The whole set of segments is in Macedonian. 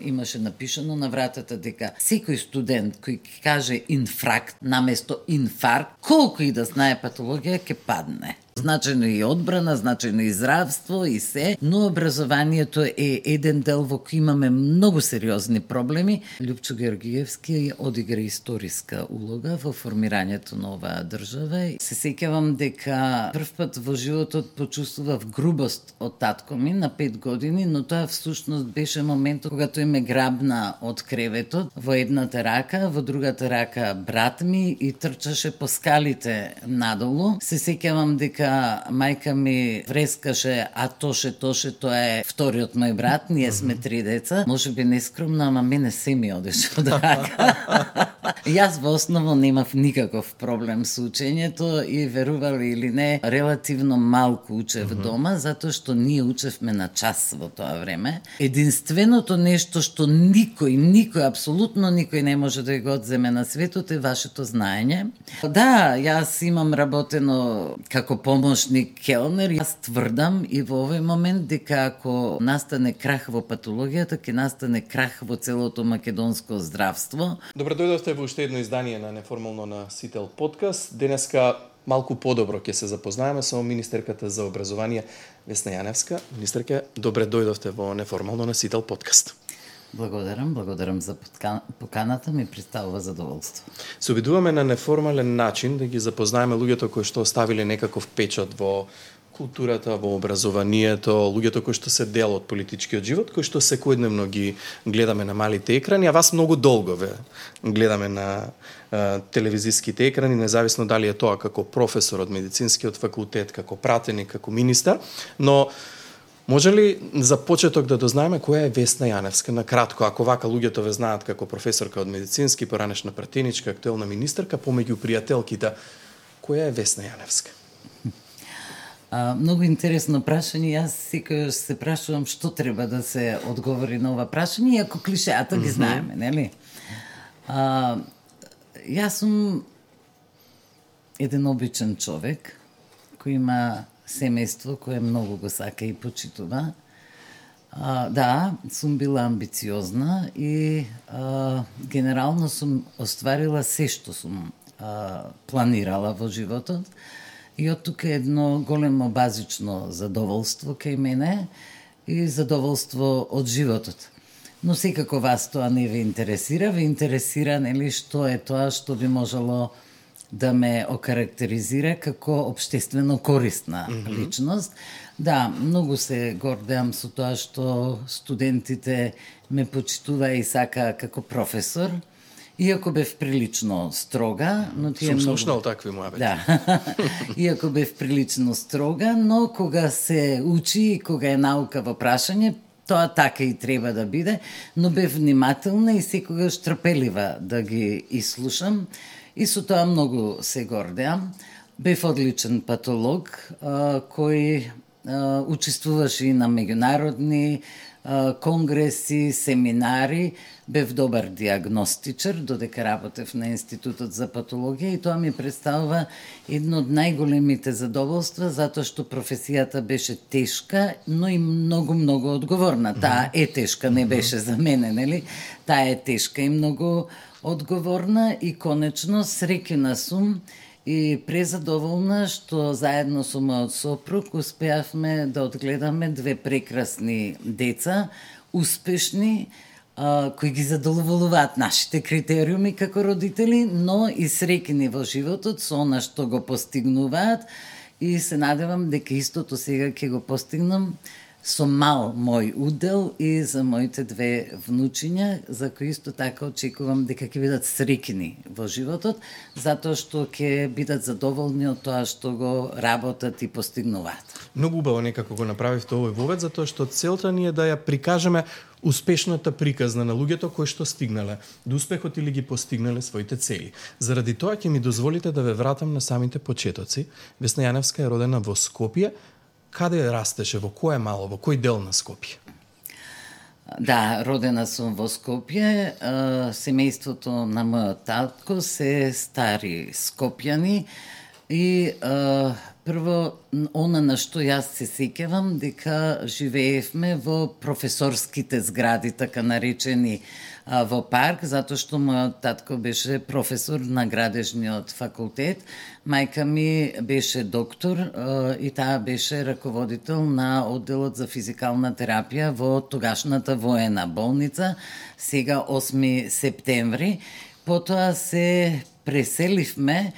имаше напишано на вратата дека секој студент кој каже инфракт наместо инфаркт, колку и да знае патологија, ќе падне. Значено и одбрана, значено и здравство и се, но образованието е еден дел во кој имаме многу сериозни проблеми. Љупчо Георгиевски одигра историска улога во формирањето на оваа држава. Се сеќавам дека прв пат во животот почувствував грубост од татко ми на 5 години, но тоа всушност беше моментот кога тој ме грабна од креветот, во едната рака, во другата рака брат ми и трчаше по скалите надолу. Се сеќавам дека мајка ми врескаше, а тоше, тоа е вториот мој брат, ние сме 3 деца. Може би нескромно, ама мене се ми одеше од рака. Јас во основа немав никаков проблем со учењето и верували или не, релативно малку учев дома, затоа што ние учевме на час во тоа време. Единственото нешто што никој, апсолутно никој не може да го одземе на светот е вашето знаење. Да, јас имам работено како помошник келнер. Јас тврдам и во овој момент дека ако настане крах во патологијата, ќе настане крах во целото македонско здравство. Добро дојдовте во уште едно издание на Неформално на Сител подкаст. Денеска малку подобро ќе се запознаеме со министерката за образование Весна Јаневска. Министерка, добре дојдовте во Неформално на Сител подкаст. Благодарам за поканата, ми представува задоволство. Се обидуваме на неформален начин да ги запознаеме луѓето кои што оставиле некаков печат во културата, во образованието, луѓето кои што се дел од политичкиот живот, кои што секојдневно ги гледаме на малите екрани, а вас многу долго ве гледаме на телевизиските екрани, независно дали е тоа како професор од медицинскиот факултет, како пратеник, како министар, но може ли за почеток да дознаеме која е Весна Јаневска? На кратко, ако вака луѓето ве знаат како професорка од медицински, поранешна пратеничка, актуелна министерка, помеѓу пријателките, која е Весна Јаневска? Многу интересно прашање. Јас секојаш се прашувам што треба да се одговори на ова прашање, иако клишеата ги знаеме, нели? Јас сум еден обичен човек кој има семејство кое многу го сака и почитува. Да, сум била амбициозна и генерално сум остварила се што сум планирала во животот. И од тука едно големо базично задоволство кај мене и задоволство од животот. Но секако вас тоа не ве интересира, нели, што е тоа што би можело да ме окарактеризира како општествено корисна личност. Да, многу се гордеам со тоа што студентите ме почитува и сака како професор, иако бев прилично строга, но тие сум слушнал такви муабети. Да. Иако бев прилично строга, но кога се учи и кога е наука во прашање, тоа така и треба да биде, но бев внимателна и секогаш трпелива да ги изслушам. И со тоа многу се гордеам. Бев одличен патолог, кој учествуваше и на меѓународни конгреси, семинари. Бев добар диагностичар, додека работев на Институтот за патологија и тоа ми представува едно од најголемите задоволства, затоа што професијата беше тешка, но и многу одговорна. Таа е тешка, не беше за мене, нели? Таа е тешка и многу одговорна и конечно среќна сум и презадоволна што заедно со мојот сопруг успеавме да одгледаме 2 прекрасни деца, успешни, кои ги задоволуваат нашите критериуми како родители, но и среќни во животот со она што го постигнуваат и се надевам дека истото сега ќе го постигнам со мал мој удел и за моите 2 внучиња, за кои исто така очекувам дека ќе бидат среќни во животот, затоа што ќе бидат задоволни од тоа што го работат и постигнуваат. Многу убаво некако го направивте овој вовед, затоа што целта ни е да ја прикажеме успешната приказна на луѓето кои што стигнале до успехот или ги постигнале своите цели. Заради тоа ќе ми дозволите да ве вратам на самите почетоци. Весна Јаневска е родена во Скопје. Каде растеше, во кој мало, во кој дел на Скопје? Да, родена сум во Скопје. Семејството на мојот татко се стари скопјани. И прво, она на што јас се сеќавам, дека живеевме во професорските згради, така наречени во парк, затоа што мојот татко беше професор на градежниот факултет, мајка ми беше доктор и таа беше раководител на одделот за физикална терапија во тогашната воена болница, сега 8 септември. Потоа се преселивме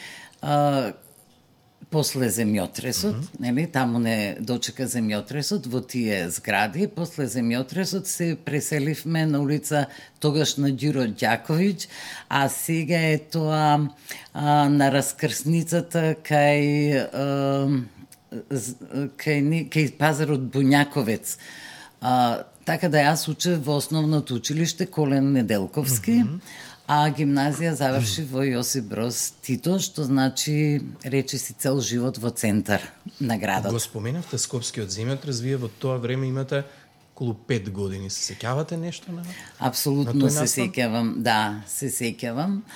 после земјотресот, нели, таму не дочека земјотресот во тие згради. После земјотресот се преселивме на улица тогаш на Ѓуро Ѓаковиќ, а сега е тоа на раскрсницата кај пазарот Буњаковец. Така да јас учев во основното училиште Колен Неделковски, а гимназија заврши во Јосип Броз Тито, што значи речиси цел живот во центар на градот. Го споменавте Скопскиот земјотрес, вие во тоа време имате околу 5 години. Се сеќавате нешто на? Апсолутно на се сеќавам, да, се сеќавам.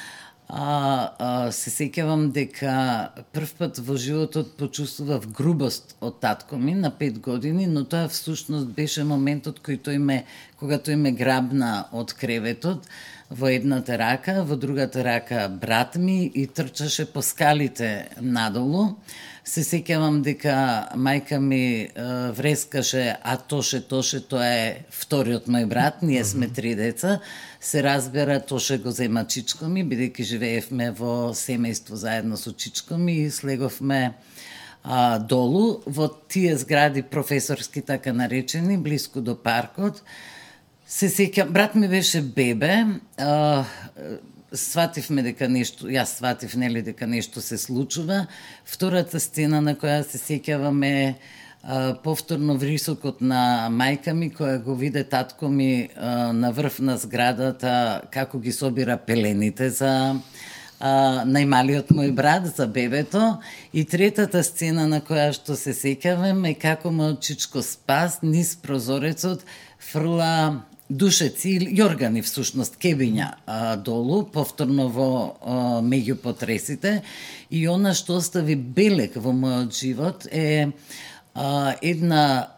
Се сеќавам дека прв пат во животот почувствував грубост од татко ми на 5 години, но тоа всушност беше моментот кога тој ме грабна од креветот во едната рака, во другата рака брат ми и трчаше по скалите надолу. Се сеќавам дека мајка ми врескаше, а Тоше, тоа е вториот мој брат, ние сме 3 деца. Се разбера, Тоше го зема чичко ми, бидејќи живеевме во семејство заедно со чичко ми и слеговме долу во тие згради професорски, така наречени, блиску до паркот. Се сеќам, брат ми беше бебе, свативме дека нешто, јас сватив, нели, дека нешто се случува. Втората сцена на која се сеќавам е повторно врисокот на мајка ми, која го виде татко ми на врв на зградата, како ги собира пелените за најмалиот мој брат, за бебето. И третата сцена на која што се сеќавам е како мојот чичко Спас низ прозорецот фрла душеци или јоргани всушност кебиња долу, повторно во меѓу потресите. И она што остави белег во мојот живот е една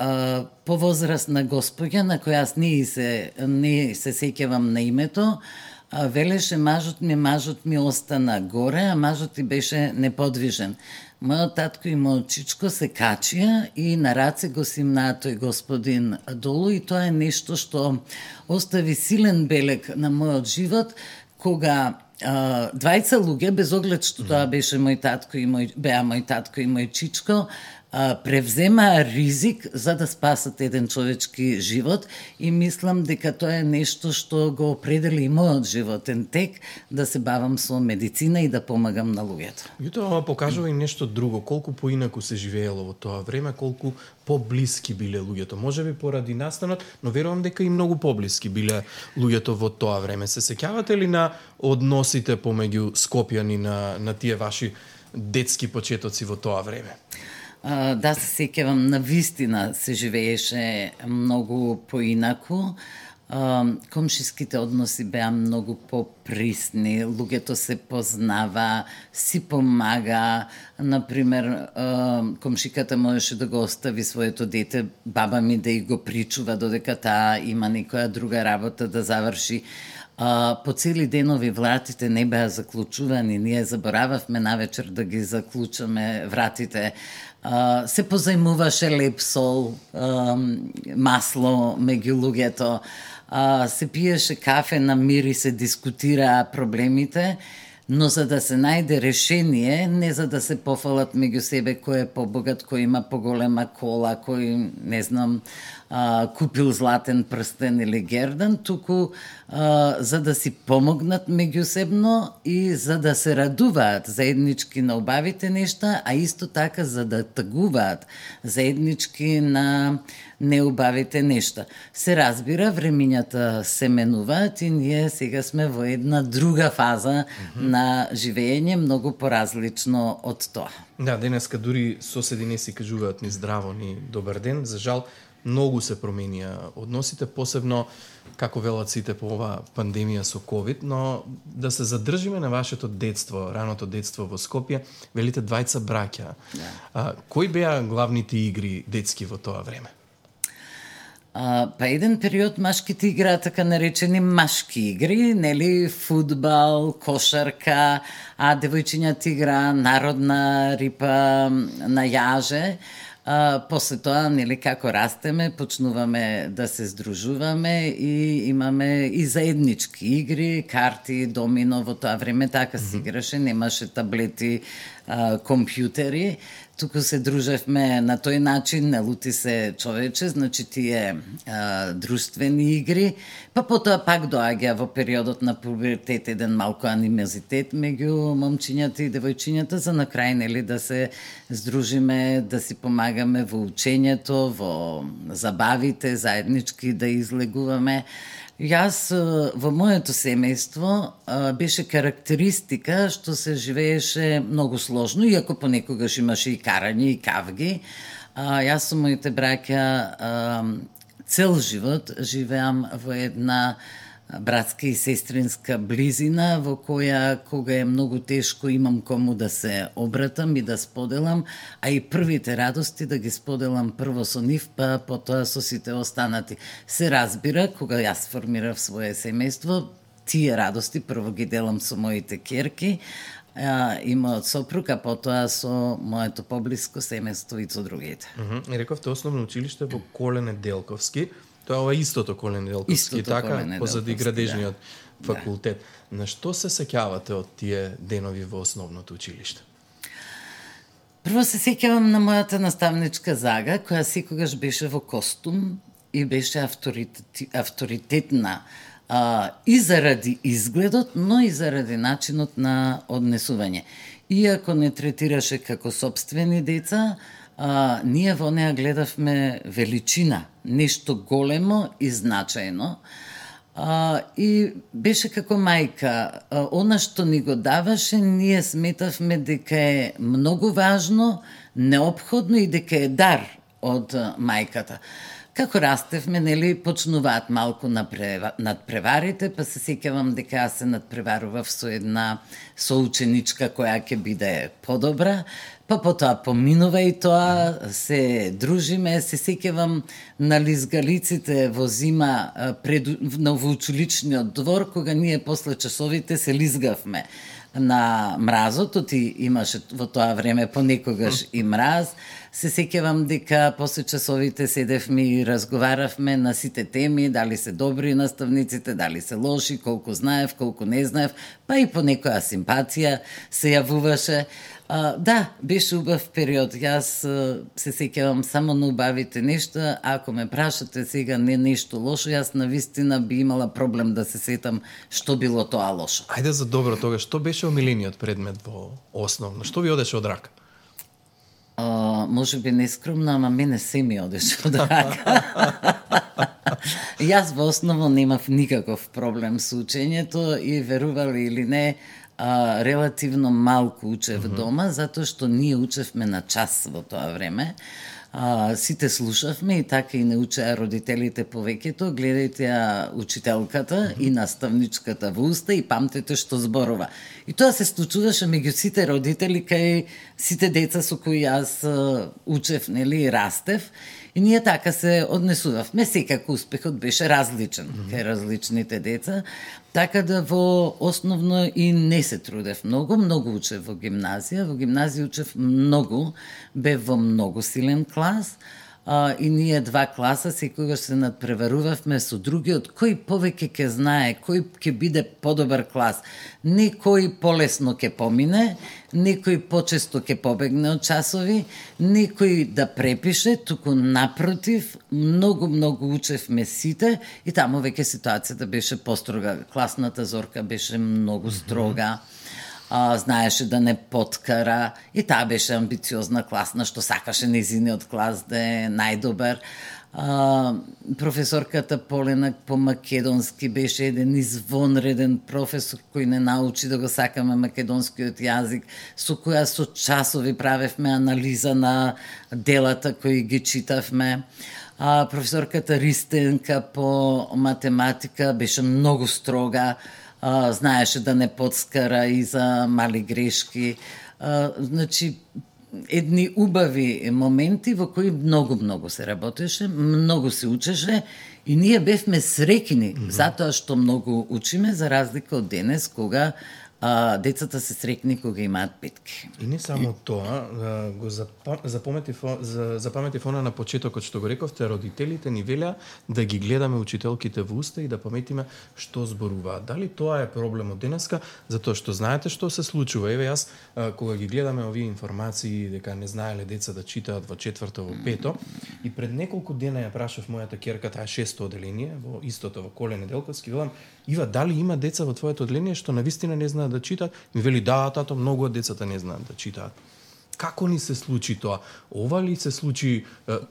повозрасна госпоѓа на која јас не се сеќавам на името. Велеше мажот ми остана горе, а мажот ти беше неподвижен. Мојот татко и мојот чичко се качија и на раце го симнаа тој господин долу, и тоа е нешто што остави силен белег на мојот живот, кога двајца луѓе, без оглед што тоа беше мој татко и мој чичко, превземаа ризик за да спасат еден човечки живот, и мислам дека тоа е нешто што го определи и мојот животен тек, да се бавам со медицина и да помагам на луѓето. И тоа покажува и нешто друго, колку поинаку се живеело во тоа време, колку поблиски биле луѓето. Можеби поради настанот, но верувам дека и многу поблиски биле луѓето во тоа време. Се сеќавате ли на односите помеѓу скопјани на тие ваши детски почетоци во тоа време? Да, се сеќавам, навистина се живееше многу поинаку. Комшиските односи беа многу поприсни, луѓето се познава, си помага. Например, комшиката можеше да го остави своето дете, баба ми да и го причува додека таа има некоја друга работа да заврши. По цели денови вратите не беа заклучувани, ние заборававме навечер да ги заклучаме вратите. Се позајмуваше леп сол, масло меѓу луѓето, се пиеше кафе на мир и се дискутираа проблемите, но за да се најде решение, не за да се пофалат меѓу себе кој е побогат, кој има поголема кола, кој, не знам, купил златен прстен или гердан, туку за да си помогнат меѓусебно и за да се радуваат заеднички на убавите нешта, а исто така за да тагуваат заеднички на неубавите нешта. Се разбира, времињата се менуваат и ние сега сме во една друга фаза на живење, многу поразлично од тоа. Да, денеска дури соседи не си кажуваат ни здраво, ни добар ден. За жал, многу се променија односите, посебно како велат сите по оваа пандемија со ковид, но да се задржиме на вашето детство, раното детство во Скопје, велите двајца браќа. Кои беа главните игри детски во тоа време? Па еден период машките играа така наречени машки игри, нели, фудбал, кошарка, а девојчињата играа народна рипа на јаже. После тоа, нели, како растеме, почнуваме да се здружуваме и имаме и заеднички игри, карти, домино, во тоа време така се играше, немаше таблети, компјутери, туку се дружевме на тој начин, не лути се човече, значи тие друштвени игри, па потоа пак доаѓа во периодот на пубертет еден малку анимозитет меѓу момчињата и девојчињата, за на крај, нели, да се здружиме, да си помагаме во учењето, во забавите, заеднички да излегуваме. Јас во моето семејство беше карактеристика што се живееше многу сложно, иако понекогаш имаше и карање и кавги. Јас со моите браќа цел живот живеам во една братска и сестринска близина, во која, кога е многу тешко, имам кому да се обратам и да споделам, а и првите радости да ги споделам прво со нив, па потоа со сите останати. Се разбира, кога јас формирав свое семејство, тие радости прво ги делам со моите керки и мојот сопруг, а потоа со моето поблиско семејство и со другите. И рековте основно училиште во Колене Делковски. Тоа е ова истото Колене Делковски, така, позади градежниот факултет. На што се сеќавате од тие денови во основното училиште? Прво се сеќавам на мојата наставничка Зага, која секогаш беше во костум и беше авторитетна и заради изгледот, но и заради начинот на однесување. Иако не третираше како собствени деца, ние во неа гледавме величина, нешто големо и значајно. И беше како мајка. Она што ни го даваше, ние сметавме дека е многу важно, неопходно и дека е дар од мајката. Како растевме, нели, почнуваат малку надпреварите, па се сеќавам дека јас се надпреварував со една соученичка која ќе биде подобра, па потоа поминува и тоа, се дружиме, се сеќавам на лизгалиците во зима на воучиличниот двор, кога ние после часовите се лизгавме на мразот, и имаше во тоа време понекогаш и мраз. Се сеќавам дека после часовите седевме и разговаравме на сите теми, дали се добри наставниците, дали се лоши, колку знаев, колку не знаев, па и по некоја симпатија се јавуваше. Да, беше убав период. Јас се сеќавам само на убавите нешта. Ако ме прашате сега не нешто лошо, јас навистина би имала проблем да се сетам што било тоа лошо. Ајде за добро тога, што беше омилениот предмет во основно? Што ви одеше од рака? Може би нескромно, ама мене се ми одеше од рака. Јас во основно немав никаков проблем со учењето и верували или не, релативно малку учев дома, затоа што ние учевме на час во тоа време. Сите слушавме и така и не учеа родителите повеќето, гледајте ја учителката и наставничката во уста и памтете што зборува. И тоа се случуваше меѓу сите родители кај сите деца со кои јас учев, нели, и растев. И ние така се однесувавме, секако успехот беше различен кај различните деца, така да во основно и не се трудев многу, многу учев во гимназија. Во гимназија учев многу, бев во многу силен клас, и ние два класа секогаш се надпреварувавме со другиот, кој повеќе ќе знае, кој ќе биде подобар клас. Некој полесно ќе помине, некој почесто ќе побегне од часови, некој да препише, туку напротив, многу учевме сите и таму веќе ситуацијата беше построга. Класната зорка беше многу строга. Знаеше да не подкара и таа беше амбициозна класна, што сакаше незиниот клас да е најдобар. Професорката Полена по македонски беше еден извонреден професор кој не научи да го сакаме македонскиот јазик, со која со часови правевме анализа на делата кои ги читавме. Професорката Ристенка по математика беше многу строга, знаеше да не подскара и за мали грешки. Значи, едни убави моменти во кои многу се работеше, многу се учеше и ние бевме среќни затоа што многу учиме, за разлика од денес кога децата се среќни кога имаат петки. И не само тоа, го запаметив она на почетокот што го рековте, родителите ни велеа да ги гледаме учителките во уста и да паметиме што зборуваат. Дали тоа е проблемот денеска? Затоа што знаете што се случува. Еве јас, кога ги гледаме овие информации дека не знаеле деца да читаат во 4-то, во 5-то, и пред неколку дена ја прашав мојата ќерка, таа 6-то оделение, во истото, во Коле Неделковски, велам, Ива, дали има деца во твоето оделение што навистина не знаат да читаат? Ми вели, да, тато, многу од децата не знаат да читаат. Како ни се случи тоа? Ова ли се случи,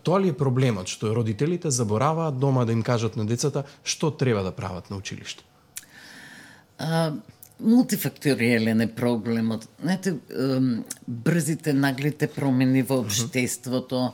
тоа ли е проблемот, што родителите забораваат дома да им кажат на децата што треба да прават на училиште? Мултифакториелен е проблемот. Знаете, брзите, наглите промени во општеството,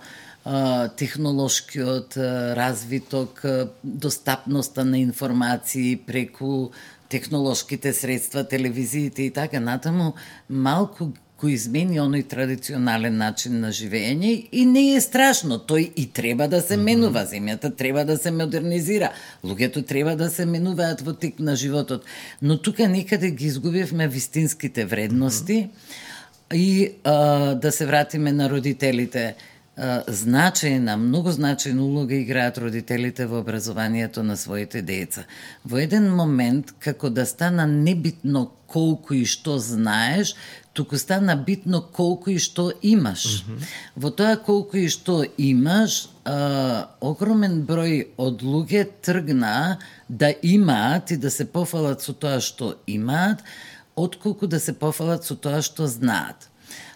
технолошкиот развиток, достапноста на информации преку технолошките средства, телевизиите и така натаму, малку го измени оној традиционален начин на живење и не е страшно, тој и треба да се менува, земјата треба да се модернизира, луѓето треба да се менуваат во тек на животот, но тука некаде ги изгубивме вистинските вредности и да се вратиме на родителите. Значајна, многу значајна улога играат родителите во образованието на своите деца. Во еден момент, како да стана небитно колку и што знаеш, туку стана битно колку и што имаш. Во тоа колку и што имаш, огромен број од луѓе тргна да имаат и да се пофалат со тоа што имаат, отколку да се пофалат со тоа што знаат.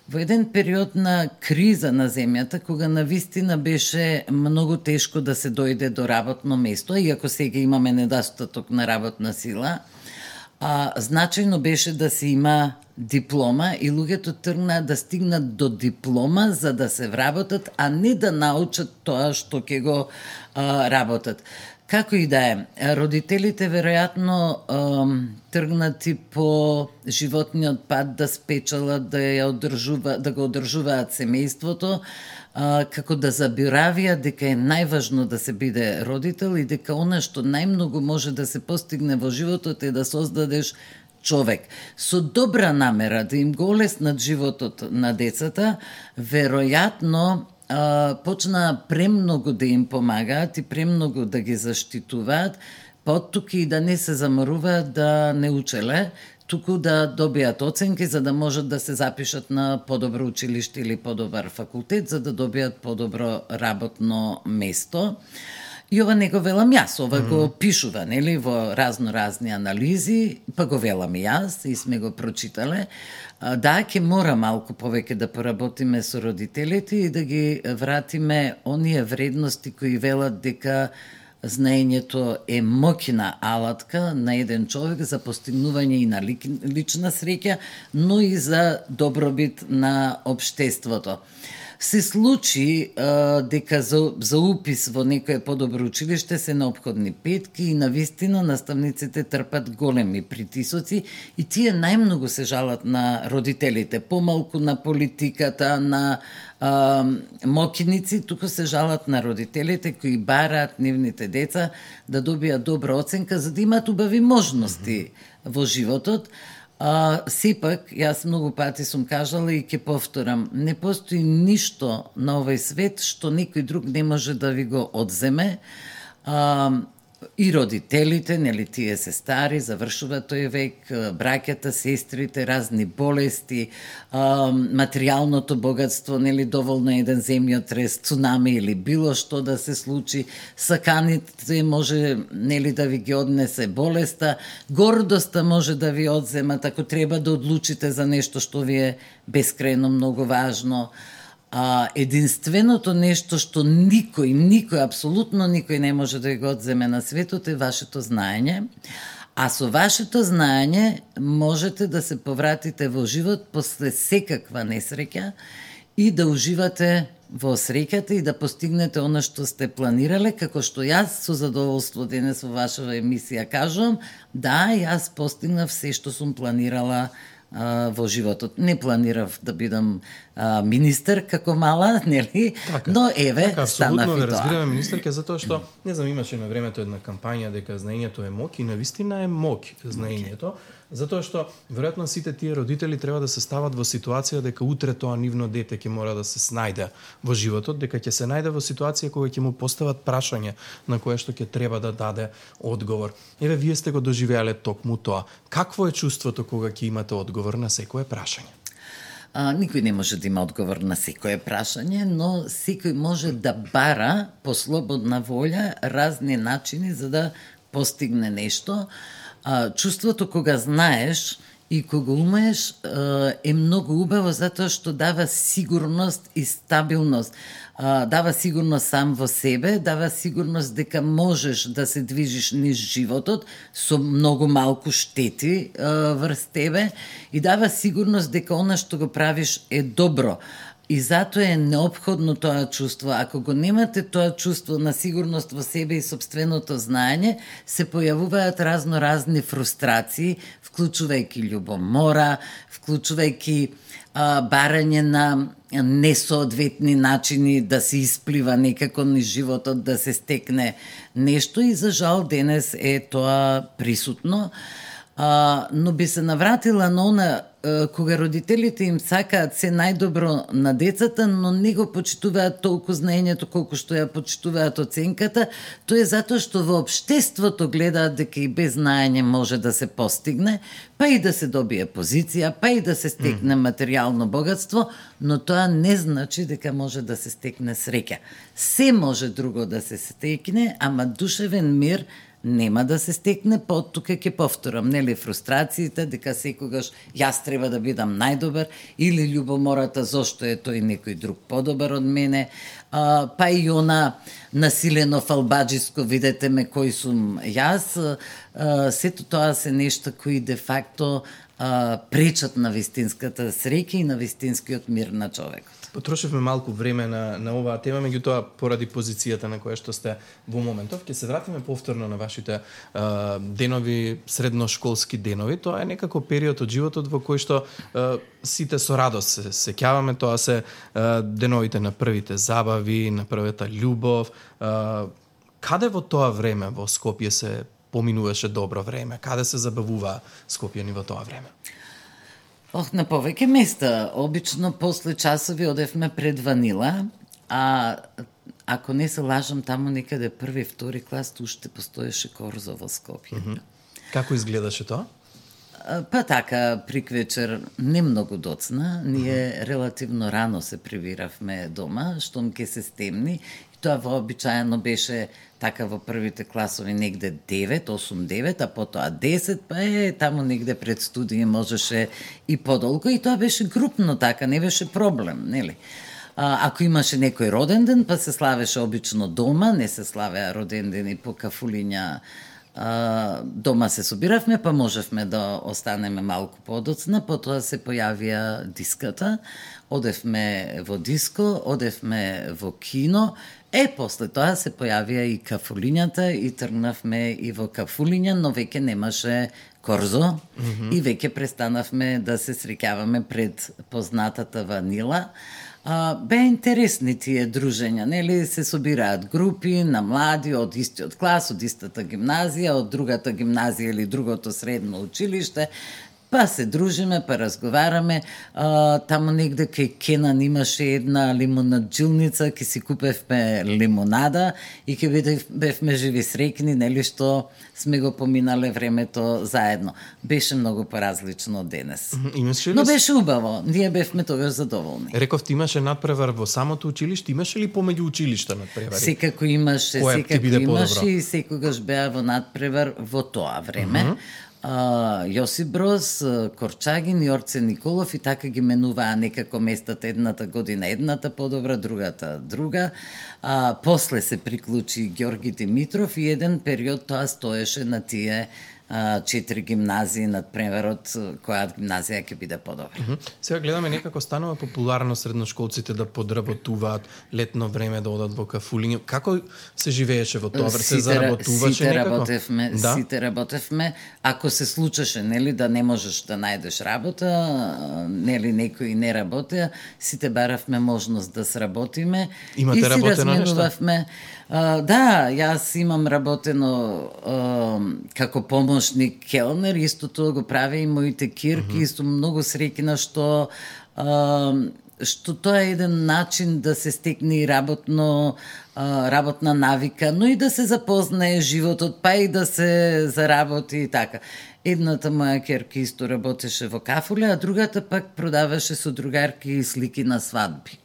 Во еден период на криза на земјата, кога навистина беше многу тешко да се дојде до работно место, иако сега имаме недостаток на работна сила, значајно беше да се има диплома и луѓето тргнаа да стигнат до диплома за да се вработат, а не да научат тоа што ќе го работат. Како и да е, родителите веројатно тргнати по животниот пат да спечалат, да го одржуваат семејството, како да забиравија дека е најважно да се биде родител и дека она што најмногу може да се постигне во животот е да создадеш човек. Со добра намера да им го олеснат животот на децата, веројатно почна премногу да им помагаат и премногу да ги заштитуваат, поттуки и да не се заморуваат да не учеле, туку да добијат оценки за да можат да се запишат на подобро училиште или подобар факултет, за да добијат подобро работно место. И ова не го велам јас, ова го пишува, нели, во разни анализи, па го велам и јас и сме го прочитале. Да, ќе мора малку повеќе да поработиме со родителите и да ги вратиме оние вредности кои велат дека знаењето е моќна алатка на еден човек за постигнување и на лична среќа, но и за добробит на општеството. Се случи дека за упис во некое подобро училиште се неопходни петки и навистина наставниците трпат големи притисоци и тие најмногу се жалат на родителите, помалку на политиката, на моќници, туку се жалат на родителите кои бараат нивните деца да добијат добра оценка за да имаат убави можности во животот. Сепак, јас многу пати сум кажала и ќе повторам, не постои ништо на овој свет што некој друг не може да ви го одземе. И родителите, нели, тие се стари, завршува тој век, браќата, сестрите, разни болести, материјалното богатство, нели, доволно еден земјотрес, цунами или било што да се случи, саканите може, нели, да ви ги однесе болеста, гордоста може да ви одземат ако треба да одлучите за нешто што ви е бескрајно многу важно. Единственото нешто што никој, апсолутно никој не може да го одземе на светот е вашето знаење, а со вашето знаење можете да се повратите во живот после секаква несреќа и да уживате во среќата и да постигнете она што сте планирале, како што јас со задоволство денес во вашава емисија кажувам, да, јас постигнав се што сум планирала во животот. Не планирав да бидам министер како мала, нели? Така, но еве, така, станав и тоа. разбираме министерка, затоа што, не знам, имаше на времето една кампања дека знаењето е мок, и навистина е мок знаењето, затоа што веројатно сите тие родители треба да се стават во ситуација дека утре тоа нивно дете ќе мора да се снајде во животот, дека ќе се најде во ситуација кога ќе му постават прашање на кое што ќе треба да даде одговор. Еве, вие сте го доживеале токму тоа. Какво е чувството кога ќе имате одговор на секое прашање? Никој не може да има одговор на секое прашање, но секој може да бара по слободна волја разни начини за да постигне нешто. Чувството кога знаеш и кога умееш е многу убаво затоа што дава сигурност и стабилност. Дава сигурност сам во себе, дава сигурност дека можеш да се движиш низ животот со многу малку штети врз тебе и дава сигурност дека она што го правиш е добро. И затоа е неопходно тоа чувство. Ако го немате тоа чувство на сигурност во себе и собственото знаење, се појавуваат разни фрустрации, вклучувајќи љубомора, вклучувајќи барање на несоодветни начини да се исплива некако низ животот, да се стекне нешто и за жал денес е тоа присутно. Но би се навратила на она кога родителите им сакаат се најдобро на децата, но не го почитуваат толку знаењето колку што ја почитуваат оценката, тоа е затоа што во општеството гледаат дека и без знаење може да се постигне, па и да се добие позиција, па и да се стекне материјално богатство, но тоа не значи дека може да се стекне среќа. Се може друго да се стекне, ама душевен мир нема да се стекне, тука ќе повторам, нели, фрустрациите, дека секогаш јас треба да бидам најдобар, или љубомората зошто е тој некој друг подобар од мене, па и она насилено фалбаджиско, видете ме кој сум јас, сето тоа се нешта кои де факто пречат на вистинската среќа и на вистинскиот мир на човекот. Потрошивме малку време на оваа тема, меѓутоа поради позицијата на која што сте во моментов, ќе се вратиме повторно на вашите денови, средношколски денови. Тоа е некако период од животот во кој што сите со радост се сеќаваме, тоа се деновите на првите забави, на првата љубов. Каде во тоа време во Скопје се поминуваше добро време? Каде се забавува скопјани во тоа време? На повеќе места. Обично после часови одевме пред Ванила, а ако не се лажам, таму некаде први, втори клас уште постоеше корзо во Скопје. Како изгледаше тоа? Па така, приквечер не многу доцна, ние релативно рано се прибиравме дома, штом ке се стемни. Тоа вообичаено беше така во првите класови негде 9, 8, 9, а потоа 10, па таму негде пред студија можеше и подолго, и тоа беше групно така, не беше проблем, нели? Ако имаше некој роден ден, па се славеше обично дома, не се славеа роден дени по кафулиња. Дома се собиравме, па можевме да останеме малку подоцна, потоа се појавија диската, одевме во диско, одевме во кино, после тоа се појавија и кафулињата и тргнавме и во кафулиња, но веќе немаше корзо и веќе престанавме да се среќаваме пред познатата Ванила. Беа интересни тие дружења, нели, се собираат групи на млади од истиот клас, од истата гимназија, од другата гимназија или другото средно училиште, па се дружиме, па разговараме. Таму негде кај Кенан имаше една лимонаджилница, ке си купевме лимонада и ке бевме живи среќни, нели, што сме го поминале времето заедно. Беше многу поразлично од денес. Но беше убаво, ние бевме тогаш задоволни. Рековте, имаше надпревар во самото училиште, имаше ли помеѓу училишта надпревари? Секако имаше, и секогаш беа во надпревар во тоа време. Јосип Броз, Корчагин и Орце Николов, и така ги менуваа некако местата, едната година едната подобра, другата друга. После се приклучи Ѓорги Димитров и еден период тоа стоеше на тие 4 гимназии над преварот, која гимназија ќе биде подобра. Сега гледаме некако станува популарно средношколците да подработуваат летно време, да одат во кафулиња. Како се живееше во тоа? Се заработуваше некако? Сите работевме. Ако се случеше, нели, да не можеш да најдеш работа, нели, некои не работеа, сите баравме можност да сработиме. Имате и си работено разменувавме. Да, јас имам работено како помошник келнер, исто тоа го прави и моите кирки, исто многу среќна што тоа е еден начин да се стекне и работна навика, но и да се запознае животот, па и да се заработи и така. Едната моја ќерка исто работеше во кафуле, а другата пак продаваше со другарки слики на свадби.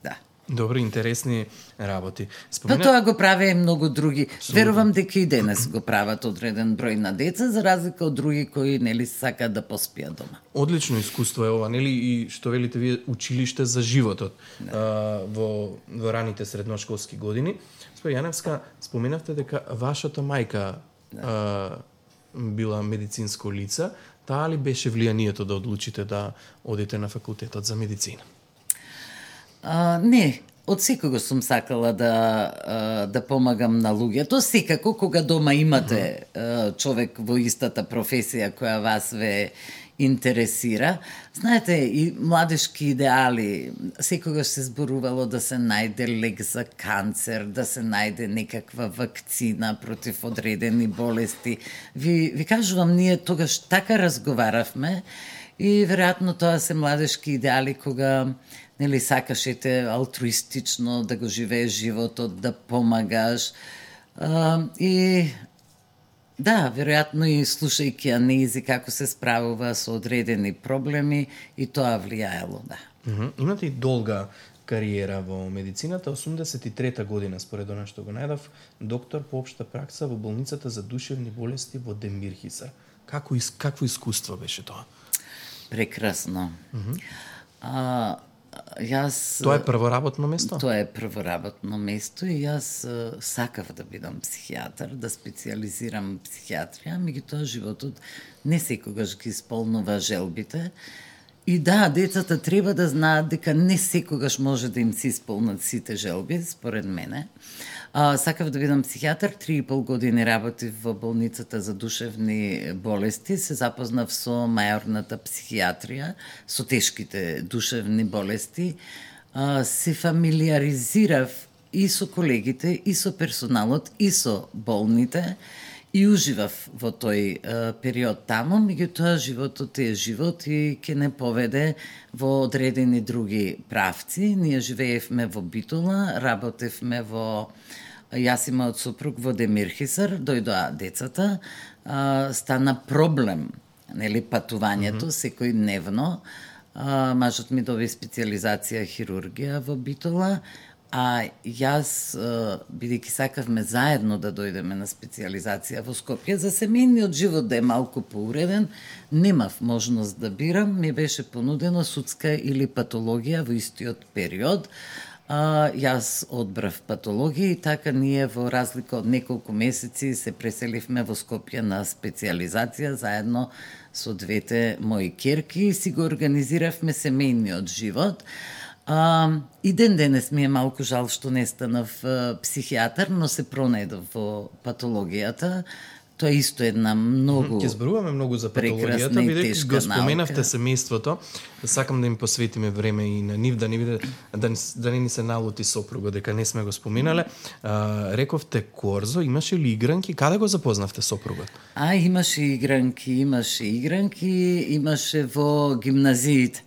Да. Добри, интересни работи. Па тоа го правеа и многу други. Верувам дека и денес го прават одреден број на деца, за разлика од други кои нели сакаат да поспијат дома. Одлично искуство е ова, нели, и што велите вие, училиште за животот во раните средношколски години. Госпоѓа Јаневска, споменавте дека вашата мајка била медицинско лице. Таа ли беше влијанието да одлучите да одите на факултетот за медицина? Не, од секогаш сум сакала да помагам на луѓето. Секако, кога дома имате човек во истата професија која вас ве интересира. Знаете, и младешки идеали, секогаш се зборувало да се најде лек за канцер, да се најде некаква вакцина против одредени болести. Ви кажувам, ние тогаш така разговаравме и веројатно тоа се младешки идеали кога нели сакашете алтруистично да го живееш животот, да помагаш. И да, веројатно и слушајќи Анези како се справува со одредени проблеми, и тоа влијаело, да. Имате и долга кариера во медицината. 83-та година, според она што го најдов, доктор по општа пракса во болницата за душевни болести во Демирхисар. Какво искуство беше тоа? Прекрасно. Тоа е првоработно место? Тоа е првоработно место и јас сакав да бидам психијатар, да специализирам психијатрија, меѓутоа животот не секогаш ги исполнува желбите. И да, децата треба да знаат дека не секогаш може да им се исполнат сите желби, според мене. Сакав да бидам психијатар, 3,5 години работив во болницата за душевни болести, се запознав со мајорната психијатрија, со тешките душевни болести, се фамилиаризирав и со колегите, и со персоналот, и со болните, и уживав во тој период таму, меѓутоа животот е живот и ќе не поведе во одредени други правци. Ние живеевме во Битола, работевме во... Јас и мојот супруг во Демирхисар, дојдоа децата, стана проблем, нели, патувањето секој дневно. Мажот ми доби специализација хирургија во Битола, а јас, бидејќи сакавме заедно да дојдеме на специализација во Скопје, за семејниот живот да е малку поуреден, немав можност да бирам, ми беше понудено судска или патологија во истиот период. Јас одбрав патологија и така ние во разлика од неколку месеци се преселивме во Скопје на специализација заедно со двете мои ќерки и си го организиравме семејниот живот. И ден денес ми е малку жал што не станав психијатар, но се пронајдов во патологијата. Тоа е исто една многу Ќе зборуваме многу за патологијата, бидејќи го споменавте семејството. Сакам да им посветиме време и на нив, да не биде да не ни се налути сопругот дека не сме го споминале. Рековте Корзо, имаше ли игранки? Каде го запознавте сопругот? Имаше игранки, имаше во гимназиите.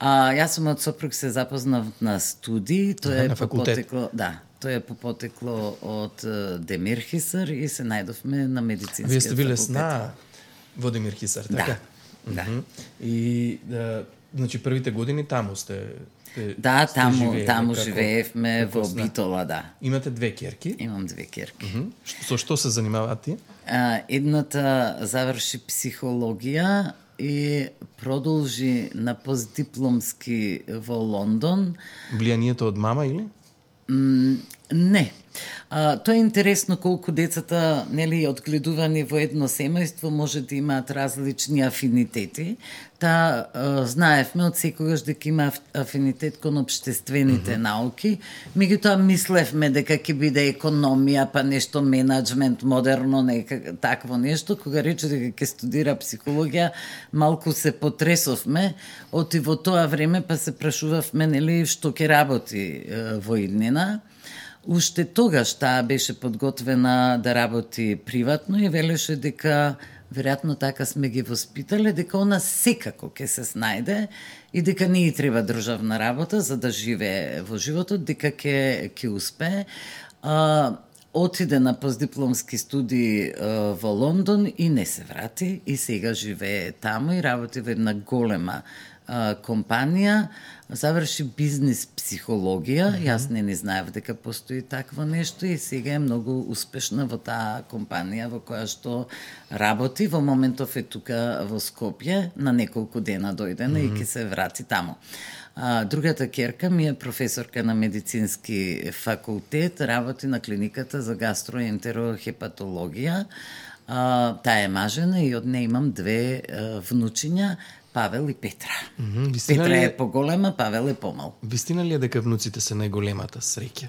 Јас сум од сопруг се запознав на студии, тоа е по потекло, тоа е по потекло од Демирхисар и се најдовме на медицинскиот факултет. Вие сте биле сна во Демирхисар, така? Да. И значи првите години таму сте Да, таму живеевме во Битола, да. Имате две ќерки? Имам две ќерки. Со што се занимаваат тие? Едната заврши психологија и продолжи на постдипломски во Лондон. Влијанието од мама или? Не. Тоа е интересно колку децата, нели, одгледувани во едно семејство може да имаат различни афинитети. Знаевме од секогаш дека има афинитет кон општествените науки. Меѓутоа мислевме дека ќе биде економија, па нешто менаџмент, модерно, такво нешто. Кога рече дека ќе студира психологија, малку се потресовме. Оти во тоа време па се прашувавме, нели, што ќе работи во иднина. Уште тогаш таа беше подготвена да работи приватно и велеше дека, веројатно така сме ги воспитале, дека она секако ќе се снајде и дека не и треба државна работа за да живее во животот, дека ќе успее. Отиде на постдипломски студии во Лондон и не се врати и сега живее таму и работи во една голема компанија, заврши бизнис психологија, јас не знаев дека постои такво нешто и сега е многу успешна во таа компанија во која што работи. Во моментов е тука во Скопје, на неколку дена дојдена и ќе се врати таму. Другата ќерка ми е професорка на медицински факултет, работи на клиниката за гастроентерохепатологија. Таа е мажена и од неја имам две внучиња, Павел и Петра. Петра е поголема, Павел е помал. Вистина ли е дека внуците се најголемата среќа?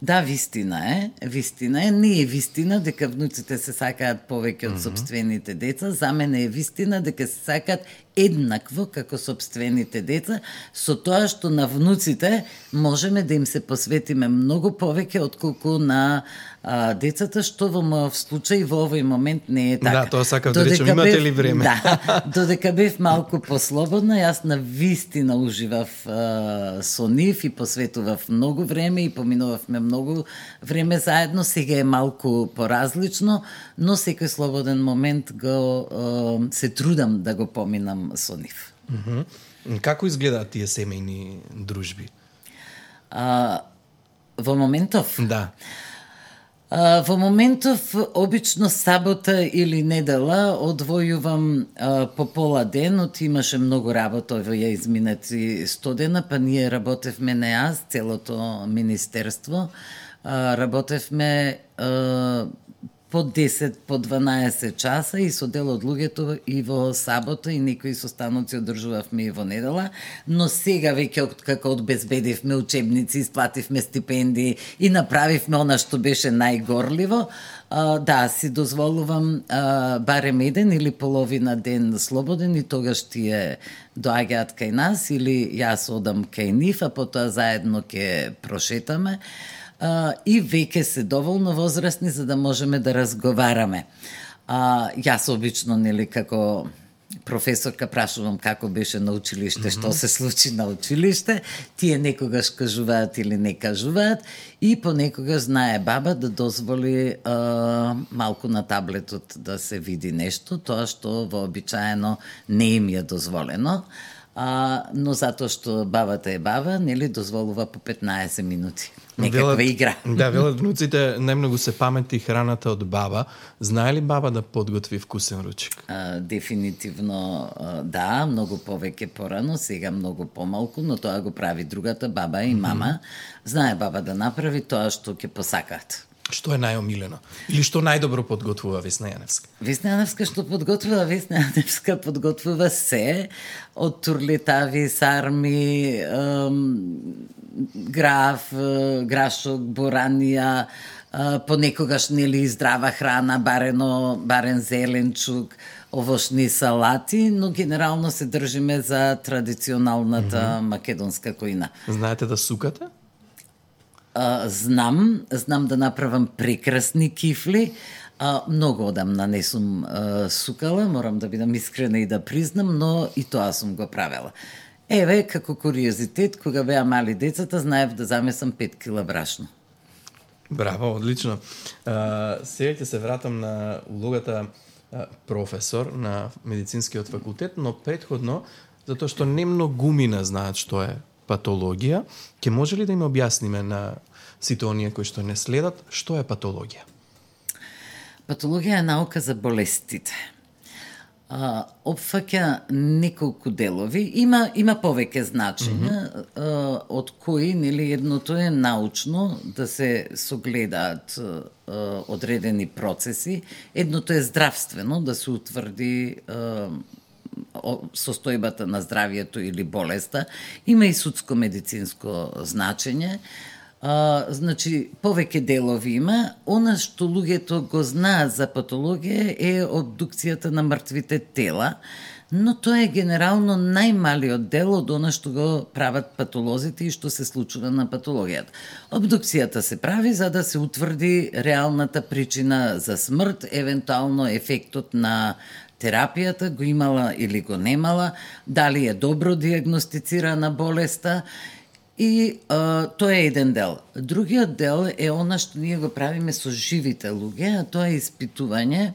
Да, вистина е. Вистина е. Не е вистина дека внуците се сакаат повеќе од сопствените деца. За мене е вистина дека се сакаат еднакво како сопствените деца, со тоа што на внуците можеме да им се посветиме многу повеќе отколку на децата, што во мојот случај во овој момент не е така. Да, тоа сакав да речем, имате ли време? Да, додека бев малку послободна, јас на вистина уживав со нив и посветував многу време и поминувавме многу време заедно. Сега е малку поразлично, но секој слободен момент се трудам да го поминам со нив. Како изгледаат тие семејни дружби? Во моментов? Да. Во моментов, обично сабота или недела, одвојувам по пола ден, имаше многу работа во ја изминати 100 дена, па ние работевме не аз, целото министерство, работевме по 10, по 12 часа и со дел од луѓето и во сабота и некои состаноци одржувавме и во недела, но сега веќе како одбезбедивме учебници, исплативме стипендии и направивме она што беше најгорливо, да, си дозволувам барем еден или половина ден слободен и тогаш тие доаѓаат кај нас или јас одам кај нив, а потоа заедно ќе прошетаме. И веќе се доволно возрастни за да можеме да разговараме. Јас обично, нели, како професорка прашувам како беше на училиште, што се случи на училиште, тие некогаш кажуваат или не кажуваат и понекогаш знае баба да дозволи малку на таблетот да се види нешто, тоа што вообичаено не им е дозволено. Но затоа што бабата е баба, нели, дозволува по 15 минути. Некаква игра. Да, велат внуците најмногу се памети храната од баба. Знае ли баба да подготви вкусен ручек? Дефинитивно да, многу повеќе порано, сега многу помалку, но тоа го прави другата баба и мама. Знае баба да направи тоа што ќе посакаат. Што е најомилено? Или што најдобро подготвува Весна Јаневска? Весна Јаневска што подготвува? Весна Јаневска подготвува се, од турлетави, сарми, граф, грашок, боранија, понекогаш, нели, здрава храна, барен зеленчук, овошни салати, но генерално се држиме за традиционалната македонска којна. Знаете да сукате? Знам да направам прекрасни кифли. Многу одамна не сум сукала, морам да бидам искрена и да признам, но и тоа сум го правела. Еве, како куриозитет, кога беа мали децата, знаев да замесам 5 кила брашно. Браво, одлично. Сега ќе се вратам на улогата професор на медицинскиот факултет, но претходно, затоа што не многумина знаат што е патологија, ќе може ли да им објасниме на сите оние кои што не следат, што е патологија? Патологија е наука за болестите. опфаќа неколку делови, има повеќе значења, од кои, нели, едното е научно, да се согледаат одредени процеси, едното е здравствено, да се утврди состојбата на здравието или болеста, има и судско-медицинско значење. Значи, повеќе делови има. Она што луѓето го знаат за патологија е обдукцијата на мртвите тела, но тоа е генерално најмалиот дел од она што го прават патолозите и што се случува на патологијата. Обдукцијата се прави за да се утврди реалната причина за смрт, евентуално ефектот на терапијата, го имала или го немала, дали е добро диагностицирана болеста. И тоа е еден дел. Другиот дел е она што ние го правиме со живите луѓе, а тоа е испитување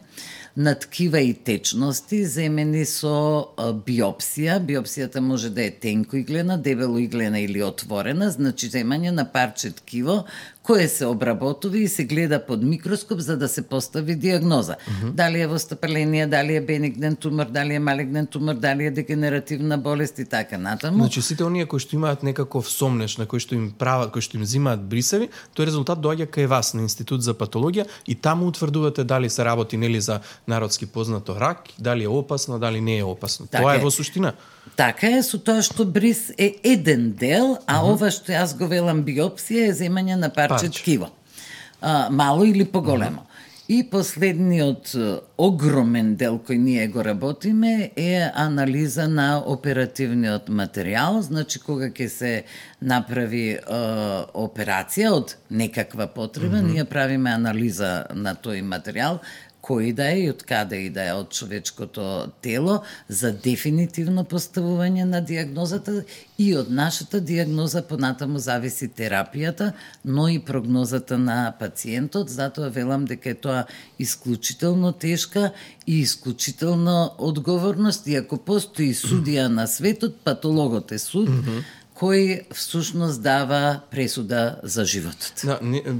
на ткива и течности земени со биопсија. Биопсијата може да е тенко иглена, дебело иглена или отворена, значи земање на парче ткиво кое се обработува и се гледа под микроскоп за да се постави диагноза. Дали е востапаление, дали е бенигнен тумор, дали е малигнен тумор, дали е дегенеративна болест и така натаму. Значи сите оние кои што имаат некаков сомнеш, на кои што им прават, кои што им взимаат брисеви, тој резултат доаѓа кај вас на Институт за патологија и таму утврдувате дали се работи нели за народски познато рак, дали е опасно, дали не е опасно. Така Тоа е е во суштина. Така е, со тоа што бриз е еден дел, а ова што јас го велам биопсија е земање на парче ткиво. Мало или поголемо. И последниот огромен дел кој ние го работиме е анализа на оперативниот материјал, значи кога ќе се направи операција од некаква потреба, ние правиме анализа на тој материјал, кој да е и од каде и да е од човечкото тело, за дефинитивно поставување на диагнозата и од нашата диагноза понатаму зависи терапијата, но и прогнозата на пациентот, затоа велам дека е тоа исклучително тешка и исклучително одговорност, и ако постои судија на светот, патологот е суд, кој всушност дава пресуда за животот.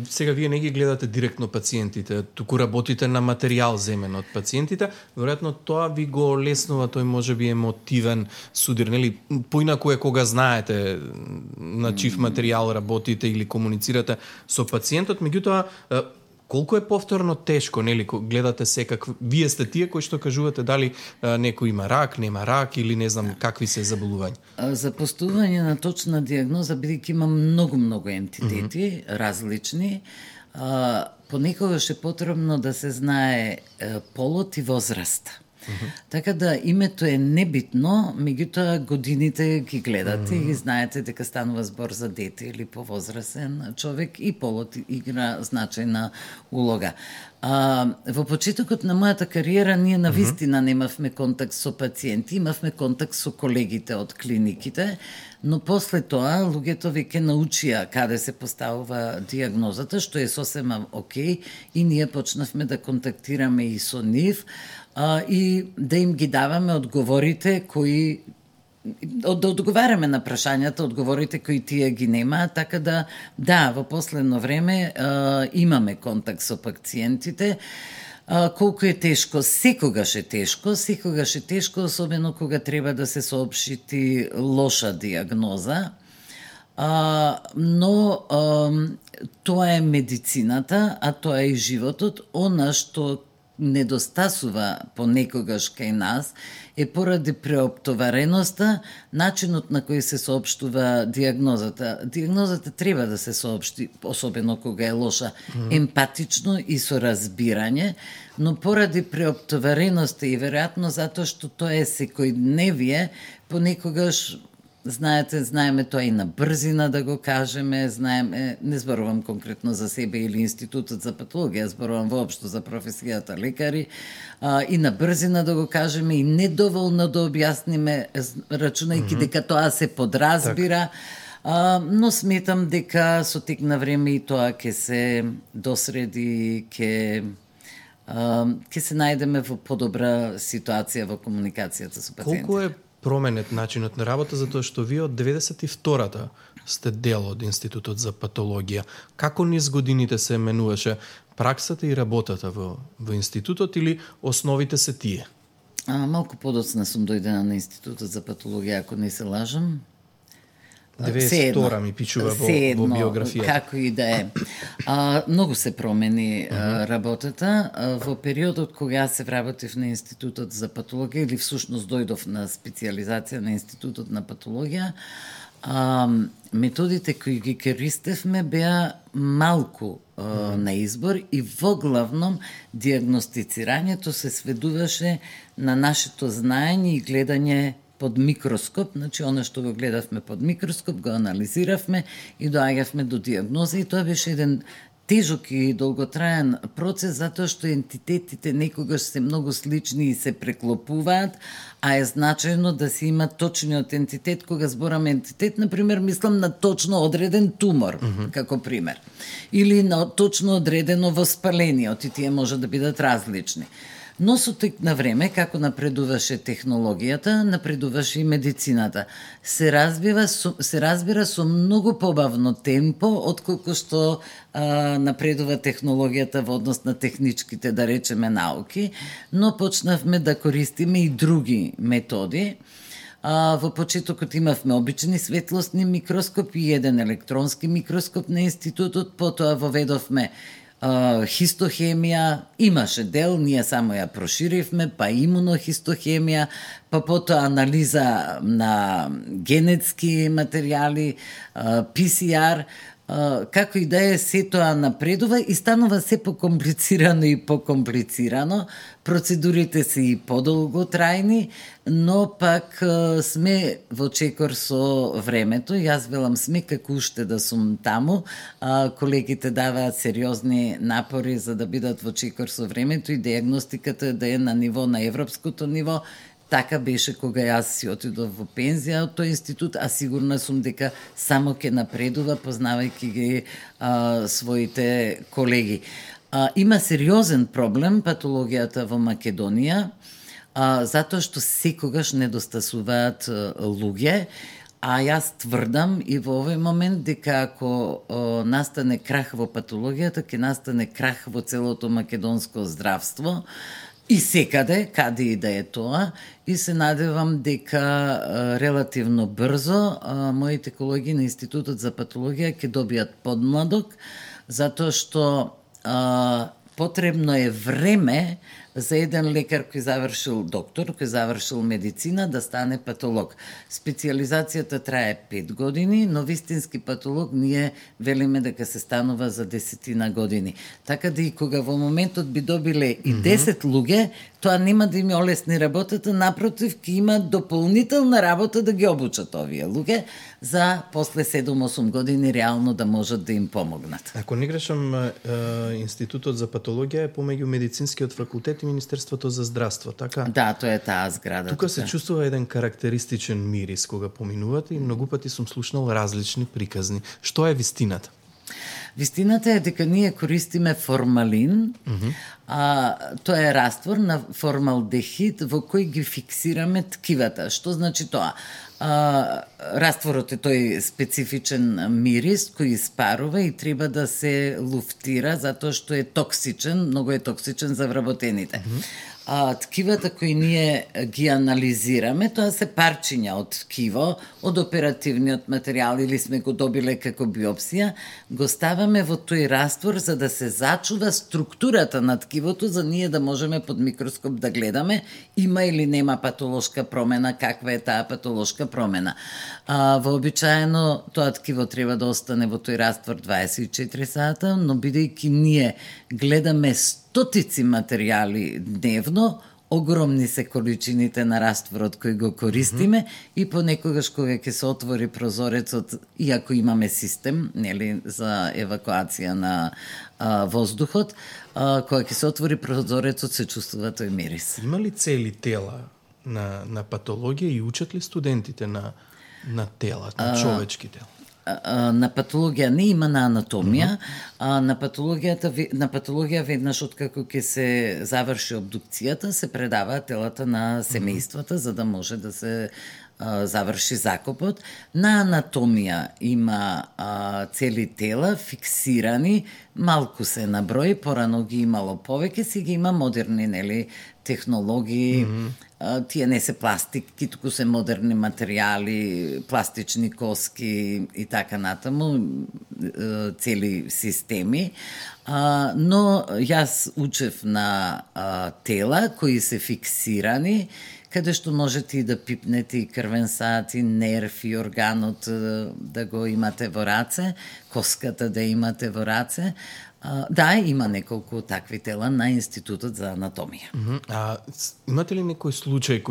Сега вие не ги гледате директно пациентите, туку работите на материјал земен од пациентите, веројатно тоа ви го леснува тој можеби емотивен судир, нели? Поинаку е кога знаете на чив материјал работите или комуницирате со пациентот, меѓутоа колку е повторно тешко, нели, гледате секак, вие сте тие кои што кажувате дали некој има рак, нема рак или не знам какви се заболувања. За поставување на точна диагноза, бидејќи има многу ентитети, различни, понекогаш е потребно да се знае полот и возраст. Така да името е небитно, меѓутоа годините ги гледате и знаете дека станува збор за дете или повозрасен човек и полот игра значајна улога. Во почетокот на мојата кариера ние навистина немавме контакт со пациенти, имавме контакт со колегите од клиниките, но после тоа луѓето веќе научија каде се поставува диагнозата, што е сосема окей, и ние почнавме да контактираме и со нив, и да им ги даваме одговорите кои да одговараме на прашањата, одговорите кои тие ги немаат, така да, во последно време имаме контакт со пациентите. Колку е тешко, секогаш е тешко, особено кога треба да се соопшти лоша диагноза, но тоа е медицината, а тоа е и животот. Она што недостасува понекогаш кај нас е поради преоптовареноста, начинот на кој се соопштува диагнозата. Диагнозата треба да се соопшти, особено кога е лоша, емпатично и со разбирање, но поради преоптовареноста и веројатно затоа што тоа е секојдневие, понекогаш знаеме тоа и на брзина да го кажеме, не зборувам конкретно за себе или Институтот за патологија, зборувам воопшто за професијата лекари, и на брзина да го кажеме и недоволно да објасниме, рачунајќи дека тоа се подразбира, но сметам дека со тек на време и тоа ќе се досреди, ќе се најдеме во подобра ситуација во комуникацијата со пациентите. Колку е променет начинот на работа, затоа што вие од 92-та сте дел од Институтот за патологија. Како низ годините се менуваше праксата и работата во институтот или основите се тие? Малку подоцна сум дојдена на Институтот за патологија, ако не се лажам. 92 ми пичува во биографија. Како и да е. Многу се промени работата. Во периодот кога се вработив на Институтот за патологија, или всушност дојдов на специализација на Институтот на патологија, методите кои ги користевме беа малку на избор и во главном диагностицирањето се сведуваше на нашето знаење и гледање под микроскоп, значи оно што го гледавме под микроскоп, го анализиравме и доаѓавме до диагноза, и тоа беше еден тежок и долготраен процес, затоа што ентитетите некогаш се многу слични и се преклопуваат, а е значајно да се има точниот ентитет. Кога зборам ентитет, например, мислам на точно одреден тумор, како пример, или на точно одредено воспаление, и тие може да бидат различни. Но со тек на време, како напредуваше технологијата, напредуваше и медицината. Се разбира со многу побавно темпо, отколку што напредува технологијата во однос на техничките, да речеме, науки, но почнавме да користиме и други методи. Во почетокот имавме обични светлосни микроскопи и еден електронски микроскоп на Институтот, потоа воведовме хистохемија, имаше дел, ние само ја проширивме, па имунохистохемија, па потоа анализа на генетски материјали, PCR, како и да е, се тоа напредува и станува се покомплицирано и покомплицирано. Процедурите се и подолготрајни, но пак сме во чекор со времето. Јас велам сме како уште да сум таму. Колегите даваат сериозни напори за да бидат во чекор со времето и диагностиката да е на ниво, на европското ниво. Така беше кога јас си отидов во пензија од тој институт, а сигурна сум дека само ќе напредува, познавајќи ги своите колеги. Има сериозен проблем патологијата во Македонија, затоа што секогаш недостасуваат луѓе, а јас тврдам и во овој момент дека ако настане крах во патологијата, ќе настане крах во целото македонско здравство, и секаде, каде и да е тоа, и се надевам дека релативно брзо моите колеги на Институтот за патологија ќе добијат подмладок, затоа што потребно е време за еден лекар кој завршил доктор, кој завршил медицина, да стане патолог. Специализацијата трае 5 години, но вистински патолог ние велиме дека се станува за 10 години. Така да и кога во моментот би добиле и 10 луѓе, тоа нема да им олесни работата, напротив, ќе има дополнителна работа да ги обучат овие луѓе за после 7-8 години реално да можат да им помогнат. Ако не грешам, Институтот за патологија е помеѓу медицинскиот факултет и Министерството за здравство, така? Да, тоа е таа зграда. Тука се чувствува еден карактеристичен мирис кога поминувате и многу пати сум слушнал различни приказни. Што е вистината? Вистината е дека ние користиме формалин, тоа е раствор на формалдехид во кој ги фиксираме ткивата. Што значи тоа? Растворот е тој специфичен мирис кој испарува и треба да се луфтира затоа што е токсичен, многу е токсичен за вработените. Ткивата кои ние ги анализираме, тоа се парчиња од ткиво, од оперативниот материјал или сме го добиле како биопсија, го ставаме во тој раствор за да се зачува структурата на ткивото, за ние да можеме под микроскоп да гледаме има или нема патолошка промена, каква е таа патолошка промена. Вообичаено тоа ткиво треба да остане во тој раствор 24 сата, но бидејќи ние гледаме стотици материјали дневно, огромни се количините на растворот кој го користиме и понекогаш кога ќе се отвори прозорецот, иако имаме систем, нели, за евакуација на воздухот, кога ќе се отвори прозорецот се чувствува тој мирис. Има ли цели тела на патологија и учат ли студентите на тела, на човечки тела? На патологија не има, на анатомија. На патологија веднаш откако ќе се заврши обдукцијата, се предаваат телата на семејствата за да може да се заврши закопот. На анатомија има цели тела фиксирани, малку се на број, порано ги имало повеќе, сега има модерни, нели, технологии, тие не се пластики, туку се модерни материјали, пластични коски и така натаму, цели системи. Но јас учев на тела кои се фиксирани, каде што можете и да пипнете и крвен сат, и нерв, и органот да го имате во раце, коската да имате во раце. Да, има неколку такви тела на Институтот за анатомија. Имате ли некој случај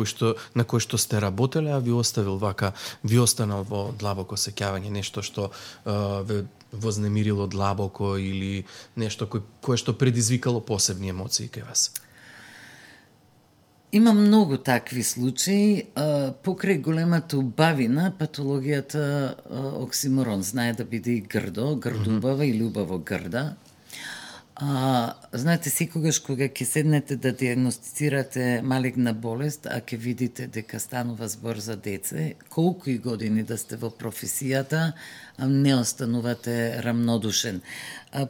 на кој што сте работеле, а ви останал во длабоко сеќавање, нешто што ве вознемирило длабоко или нешто кое што предизвикало посебни емоции кај вас? Има многу такви случаи. Покрај големата убавина, патологијата оксиморон знае да биде и грдубава или убаво грда. Знаете, секогаш кога ќе седнете да диагностицирате малигна болест, а ќе видите дека станува збор за деце, колку и години да сте во професијата, не останувате рамнодушен.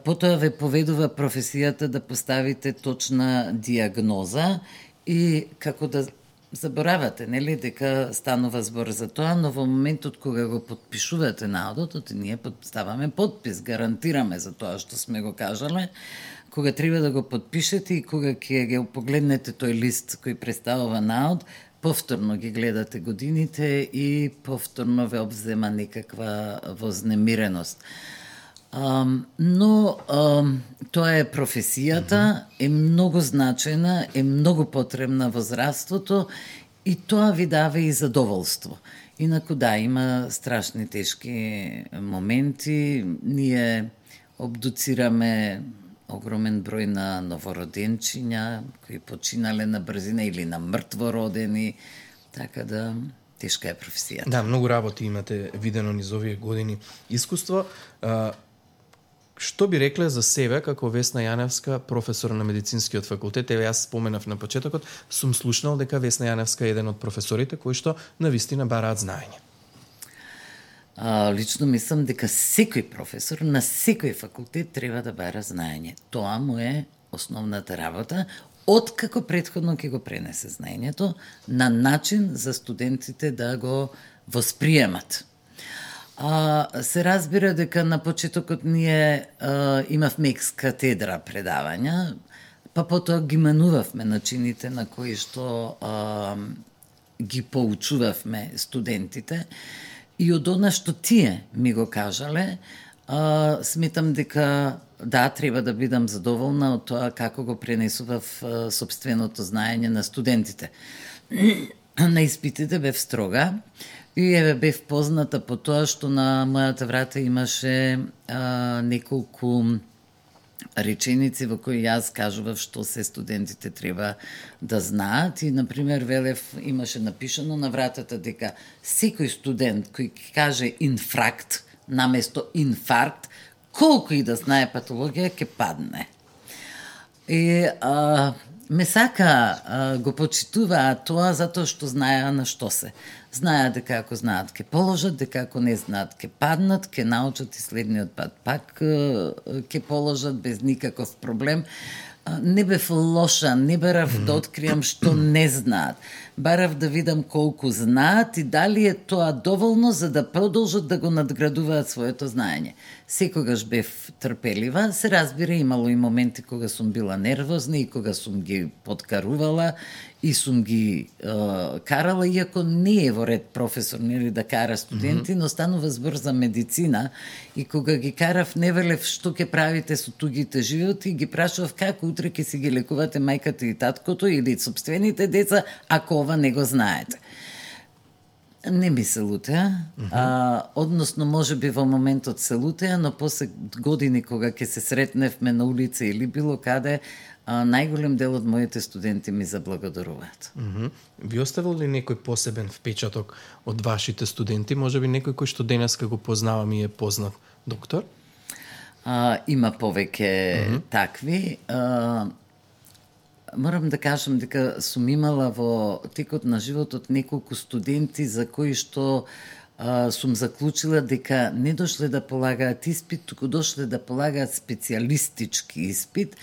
Потоа ве поведува професијата да поставите точна диагноза и како да заборавате, нели, дека станува збор за тоа, но во моментот кога го подпишувате наодот, ние ставаме подпис, гарантираме за тоа што сме го кажале, кога треба да го подпишете и кога ќе го погледнете тој лист кој представува наод, повторно ги гледате годините и повторно ве обзема некаква вознемиреност. Но тоа е професијата, е многу значена, е многу потребна во здравството и тоа ви дава и задоволство. Инаку да, има страшни тешки моменти, ние обдуцираме огромен број на новороденчиња кои починале на брзина или на мртвородени, така да тешка е професијата. Да, многу работи имате видено низ овие години искуство. Што би рекле за себе како Весна Јаневска, професор на медицинскиот факултет? Еве, јас споменав на почетокот, сум слушнал дека Весна Јаневска е еден од професорите кои што навистина бараат знаење. Лично мислам дека секој професор на секој факултет треба да бара знаење. Тоа му е основната работа, откако претходно ќе го пренесе знаењето на начин за студентите да го восприемат. Се разбира дека на почетокот ние имавме екс-катедра предавања, па потоа ги менувавме начините на кои што ги поучувавме студентите и од она што тие ми го кажале, сметам дека да, треба да бидам задоволна од тоа како го пренесував сопственото знаење на студентите. На испитите бев строга, и еве бев позната по тоа што на мојата врата имаше неколку реченици во кои јас кажував што се студентите треба да знаат и, например, велев, имаше напишано на вратата дека секој студент кој каже инфракт наместо инфаркт, колку и да знае патологија, ќе падне. И ме сака, го почитуваат тоа затоа што знаеа на што се. Знаеа дека ако знаат ќе положат, дека ако не знаат ќе паднат, ќе научат и следниот пат пак ќе положат без никаков проблем. Не бев лоша, не барав да откриам што не знаат. Барав да видам колку знаат и дали е тоа доволно за да продолжат да го надградуваат своето знаење. Секогаш бев трпелива, се разбира, имало и моменти кога сум била нервозна и кога сум ги подкарувала и сум ги карала, иако не е во ред професор нели да кара студенти, но станува збор за медицина и кога ги карав не велев што ќе правите со тугите животи, ги прашував како утре ќе си ги лекувате мајката и таткото или собствените деца, ако ова не го знаете. Не ми се лутеа, односно можеби во моментот се лутеа, но после години кога ќе се сретневме на улица или било каде, најголем дел од моите студенти ми заблагодаруваат. Ви оставил ли некој посебен впечаток од вашите студенти? Можеби некој кој што денеска го познавам и е познат доктор? Има повеќе такви. морам да кажам дека сум имала во текот на животот неколку студенти за кои што сум заклучила дека не дошле да полагаат испит, туку дошле да полагаат специјалистички испит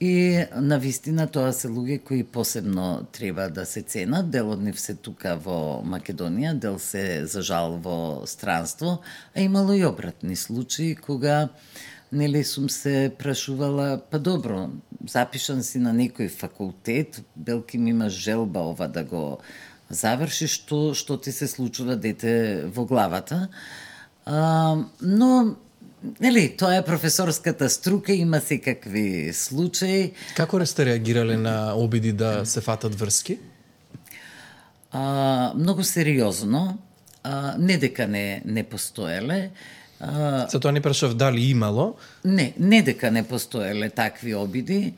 и навистина тоа се луѓе кои посебно треба да се ценат. Дел од нив се тука во Македонија, дел се за жал во странство, а имало и обратни случаи кога нели сум се прашувала, па добро, запишан си на некој факултет, белки ми имаш желба ова да го завршиш, што ти се случува дете во главата. Но, нели, тоа е професорската струка, има секакви случаи. Како сте реагирале на обиди да се фатат врски? Многу сериозно, не дека не постоеле. За тоа не прашав дали имало? Не дека не постоеле такви обиди.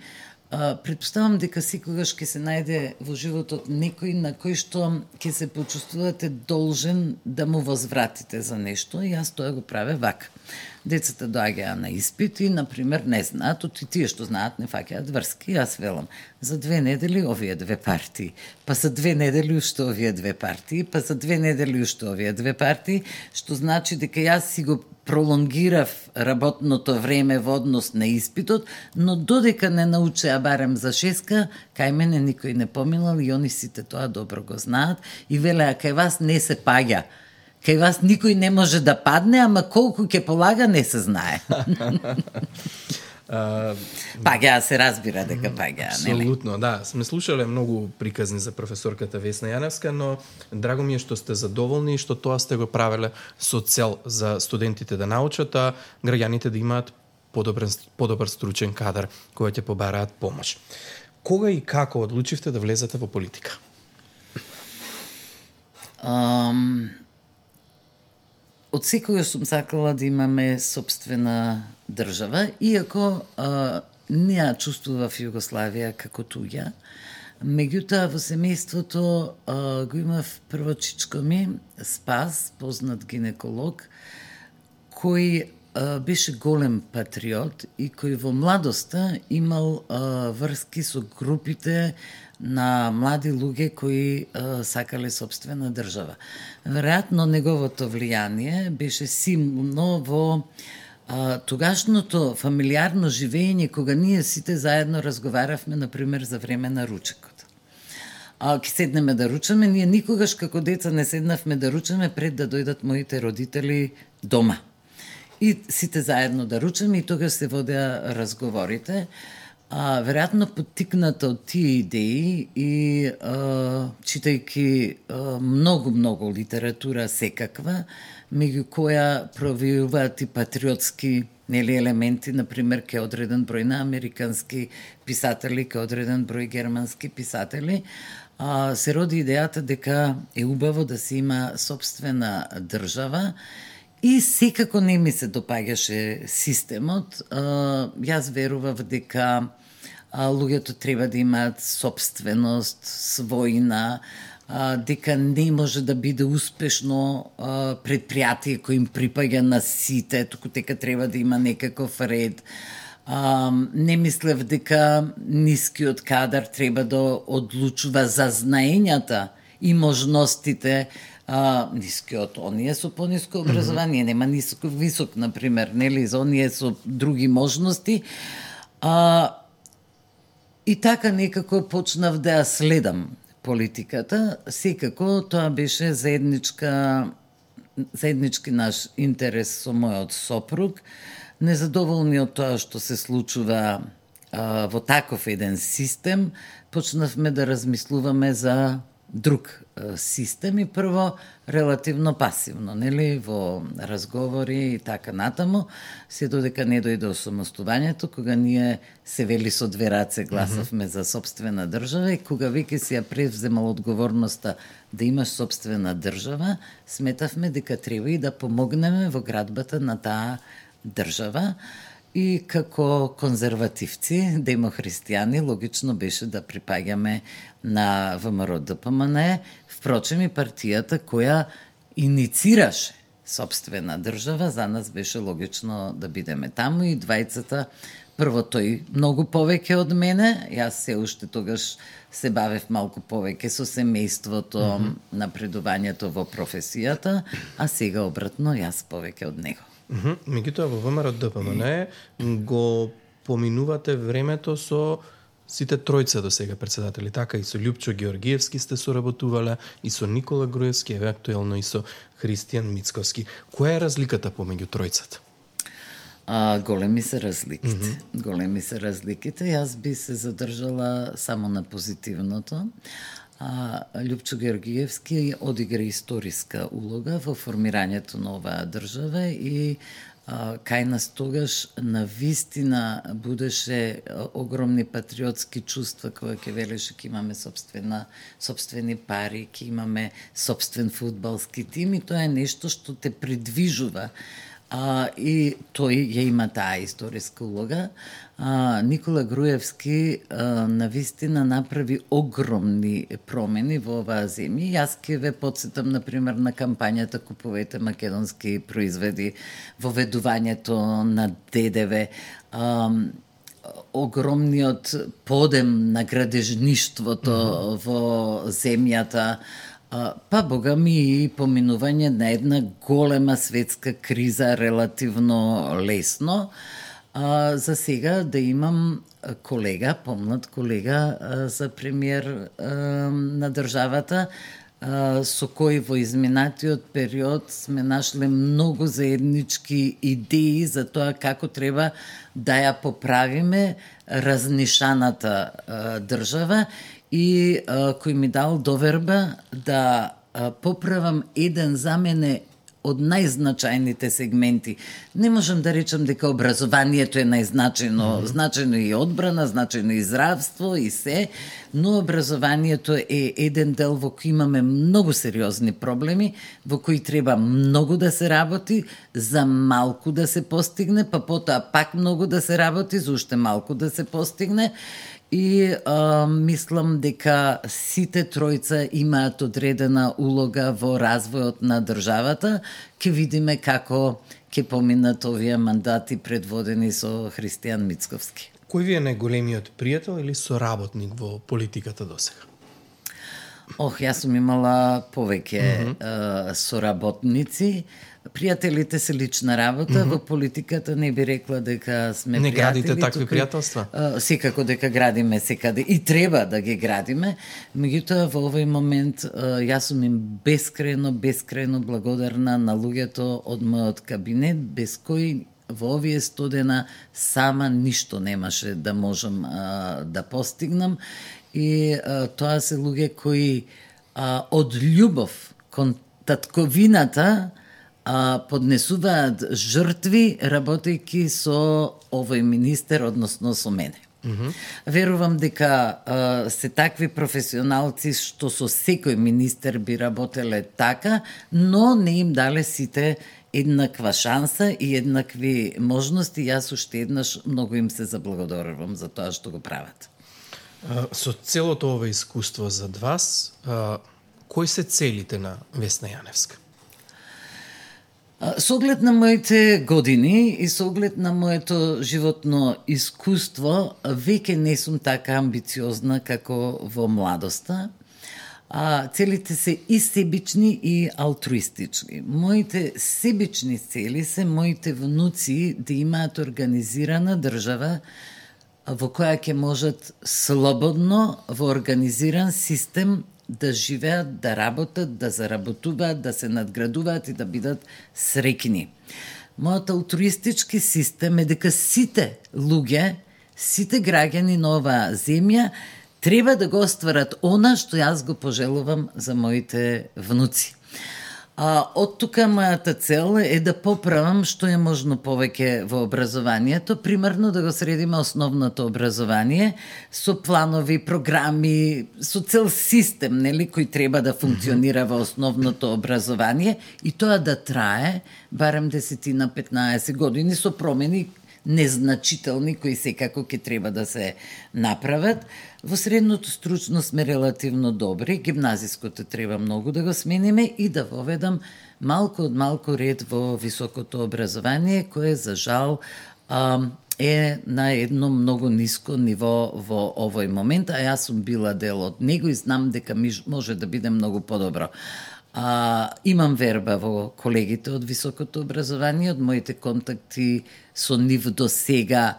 Претпоставам дека секогаш ќе се најде во животот некој на кој што ќе се почувствувате должен да му возвратите за нешто, и јас тоа го праве вака. Децата доаѓаа на испит и, например, не знаат, и тие што знаат не фаќаат врски. Јас велам, за 2 недели овие 2 партии, па за 2 недели уште овие 2 партии, па за 2 недели уште овие 2 партии, што значи дека јас си го пролонгирав работното време во однос на испитот, но додека не научеа барем за 6, кај мене никој не поминал и они сите тоа добро го знаат и велеа кај вас не се паѓа. Кај вас никој не може да падне, ама колку ќе полага не се знае. Паѓа се разбира дека паѓа, нели? Апсолутно, да. Сме слушале многу приказни за професорката Весна Јаневска, но драго ми е што сте задоволни и што тоа сте го правеле со цел за студентите да научат, а граѓаните да имаат подобар стручен кадар кој ќе побараат помош. Кога и како одлучивте да влезете во политика? Од секогаш сум сакала да имаме собствена држава, иако не ја чувствував Југославија како туѓа. Меѓутоа во семејството го имав прво чичко ми, Спас, познат гинеколог, кој беше голем патриот и кој во младоста имал врски со групите на млади луѓе кои сакале собствена држава. Веројатно неговото влијание беше силно во тогашното фамилиарно живење, кога ние сите заедно разговаравме, например, за време на ручекот. Ке седнеме да ручаме, ние никогаш како деца не седнавме да ручаме пред да дојдат моите родители дома. И сите заедно да ручаме и тогаш се водеа разговорите. Веројатно поттикната од тие идеи и читајќи многу литература секаква, меѓу која провијуваат и патриотски елементи, например, ке одреден број на американски писатели, ке одреден број германски писатели, се роди идејата дека е убаво да се има собствена држава. И секако не ми се допаѓаше системот. Јас верував дека луѓето треба да имаат собственост, својна, дека не може да биде успешно предпријатие кој им припаѓа на сите, туку дека треба да има некаков ред. Не мислев дека нискиот кадар треба да одлучува за знаењата и можностите. Нискиот, оние со пониско образование, нема ниско висок, например, нели, за оние со други можности. И така некако почнав да ја следам политиката. Секако тоа беше заеднички наш интерес со мојот сопруг. Незадоволни од тоа што се случува во таков еден систем, почнавме да размислуваме за друг систем и прво релативно пасивно, нели, во разговори и така натаму, се додека не дојде осамостувањето, кога ние се вели со 2 раце гласавме за собствена држава и кога веќе си ја превземал одговорноста да имаш собствена држава, сметавме дека треба и да помогнеме во градбата на таа држава. И како конзервативци, демохристијани, логично беше да припаѓаме на ВМРО-ДПМН, впрочем и партијата која иницираше собствена држава, за нас беше логично да бидеме таму и двајцата прво тој многу повеќе од мене, јас се уште тогаш се бавев малку повеќе со семејството, напредувањето во професијата, а сега обратно јас повеќе од него. Меѓутоа во ВМРО ДПМН го поминувате времето со сите тројца до сега председатели, така и со Љупчо Георгиевски сте соработувале, и со Никола Груевски, еве актуелно и со Христијан Мицковски. Која е разликата помеѓу тројцата? Големи се разликите. Големи се разликите. Јас би се задржала само на позитивното. Љупчо Георгиевски одигра историска улога во формирањето на оваа држава и кај нас тогаш на вистина будеше огромни патриотски чувства кога ќе велеше ќе имаме собствени пари, ќе имаме собствен фудбалски тим и тоа е нешто што те придвижува. И тој ја има таа историска улога. Никола Груевски навистина направи огромни промени во оваа земја. Јас ќе ве потсетам, например, на кампањата Купувете македонски производи, воведувањето на ДДВ, огромниот подем на градежништвото во земјата, па бога ми и поминување на една голема светска криза релативно лесно. За сега да имам колега, помлад колега за премиер на државата, со кој во изминатиот период сме нашле многу заеднички идеи за тоа како треба да ја поправиме разнишаната држава и кој ми дал доверба да поправам еден за мене од најзначајните сегменти. Не можам да речам дека образованието е најзначајно, значајно и одбрана, значајно и здравство и се, но образованието е еден дел во кој имаме многу сериозни проблеми, во кои треба многу да се работи, за малку да се постигне, па потоа пак многу да се работи, за уште малку да се постигне. И мислам дека сите тројца имаат одредена улога во развојот на државата. Ке видиме како ќе поминат овие мандати предводени со Христијан Мицковски. Кој ви е најголемиот пријател или соработник во политиката досега? Јас сум имала повеќе соработници. Пријателите се лична работа, во политиката не би рекла дека сме пријатели. Не градите такви пријателства? Секако дека градиме секаде и треба да ги градиме. Меѓутоа во овој момент јас сум им бескрајно благодарна на луѓето од мојот кабинет, без кои во овие студена сама ништо немаше да можам да постигнам. И тоа се луѓе кои од љубов кон татковината поднесуваат жртви работејќи со овој министер, односно со мене. Верувам дека се такви професионалци што со секој министер би работеле така, но не им дале сите еднаква шанса и еднакви можности. Јас уште еднаш многу им се заблагодарувам за тоа што го прават. Со целото ова искуство зад вас, кои се целите на Весна Јаневска? Со оглед на моите години и со оглед на моето животно искуство, веќе не сум така амбициозна како во младоста. Целите се и себични и алтруистични. Моите себични цели се моите внуци да имаат организирана држава во која ќе можат слободно во организиран систем да живеат, да работат, да заработуваат, да се надградуваат и да бидат среќни. Мојот алтруистички систем е дека сите луѓе, сите граѓани на оваа земја треба да го остварат она што јас го пожелувам за моите внуци. Од тука мојата цел е да поправам што е можно повеќе во образованието, примерно да го средиме основното образование со планови, програми, со цел систем, нели, кој треба да функционира во основното образование и тоа да трае барем 10-15 години со промени незначителни кои секако ќе треба да се направат. Во средното стручно сме релативно добри, гимназиското треба многу да го смениме и да воведам малку од малку ред во високото образование, кое за жал е на едно многу ниско ниво во овој момент, а јас сум била дел од него и знам дека може да биде многу подобро. Имам верба во колегите од високото образование, од моите контакти со нив до сега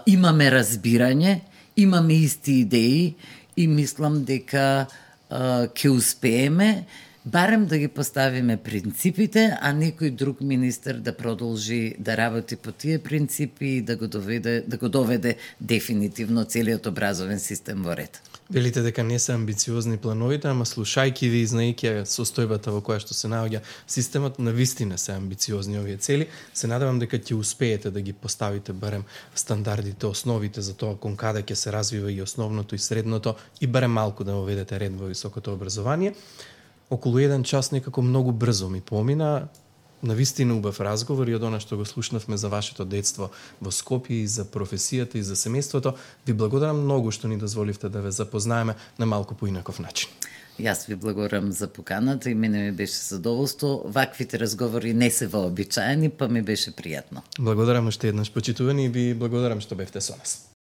имаме разбирање, имаме исти идеи и мислам дека ќе успееме барем да ги поставиме принципите, а некој друг министер да продолжи да работи по тие принципи и да го доведе дефинитивно целиот образовен систем во ред. Велите дека не се амбициозни плановите, ама слушајќи ви и знаејќи состојбата во која што се наоѓа системот, навистина се амбициозни овие цели. Се надевам дека ќе успеете да ги поставите барем стандардите, основите за тоа кон каде ќе се развива и основното и средното и барем малку да воведете ред во високото образование. Околу 1 час некако многу брзо ми помина. Навистина убав разговор и од она што го слушнавме за вашето детство во Скопје и за професијата и за семејството. Ви благодарам многу што ни дозволивте да ве запознаеме на малку поинаков начин. Јас ви благодарам за поканата и мене ми беше задоволство. Ваквите разговори не се вообичаени, па ми беше пријатно. Благодарам уште еднаш, почитувани, и ви благодарам што бевте со нас.